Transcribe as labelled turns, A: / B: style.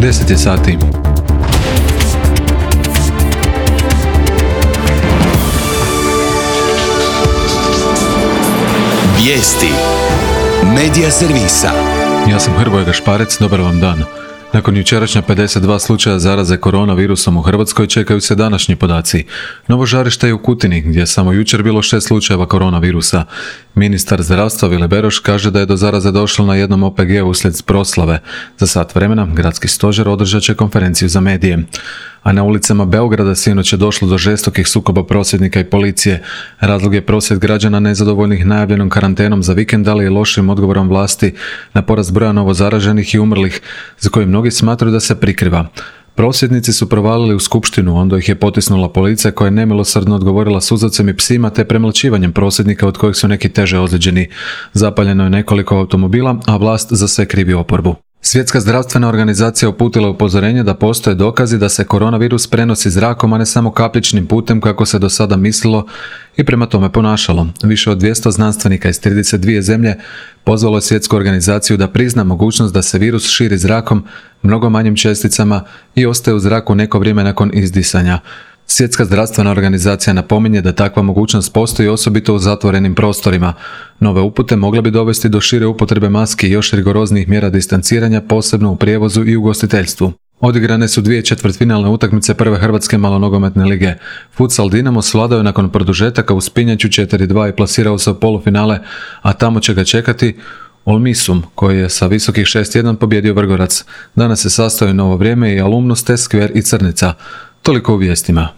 A: 10 je sati.
B: Vijesti Medija servisa.
A: Ja sam Hrvoje Gašparec, dobar vam dan. Nakon jučerašnja 52 slučaja zaraze koronavirusom u Hrvatskoj čekaju se današnji podaci. Novo žarište je u Kutini, gdje je samo jučer bilo 6 slučajeva koronavirusa. Ministar zdravstva Vili Beroš kaže da je do zaraze došlo na jednom OPG-u uslijed proslave. Za sat vremena gradski stožer održat će konferenciju za medije. A na ulicama Beograda sinoć je došlo do žestokih sukoba prosvjednika i policije. Razlog je prosvjed građana nezadovoljnih najavljenom karantenom za vikend, ali i lošim odgovorom vlasti na porast broja novozaraženih i umrlih, za koje mnogi smatraju da se prikriva. Prosvjednici su provalili u skupštinu, onda ih je potisnula policija koja je nemilosrdno odgovorila suzavcem i psima te premlaćivanjem prosvjednika od kojih su neki teže ozlijeđeni. Zapaljeno je nekoliko automobila, a vlast za sve krivi oporbu. Svjetska zdravstvena organizacija uputila upozorenje da postoje dokazi da se koronavirus prenosi zrakom, a ne samo kapljičnim putem kako se do sada mislilo i prema tome ponašalo. Više od 200 znanstvenika iz 32 zemlje pozvalo je svjetsku organizaciju da prizna mogućnost da se virus širi zrakom, mnogo manjim česticama i ostaje u zraku neko vrijeme nakon izdisanja. Svjetska zdravstvena organizacija napominje da takva mogućnost postoji osobito u zatvorenim prostorima. Nove upute mogle bi dovesti do šire upotrebe maski i još rigoroznijih mjera distanciranja, posebno u prijevozu i ugostiteljstvu. Odigrane su 2 četvrtfinalne utakmice prve hrvatske malonogometne lige. Futsal Dinamo svladao je nakon produžetaka u Spinjaču 4-2 i plasirao se u polufinale, a tamo će ga čekati Olmisum, koji je sa visokih 6-1 pobjedio Vrgorac. Danas se sastaju Novo Vrijeme i Alumnus, te Skver i Crnica. Toliko u vijestima.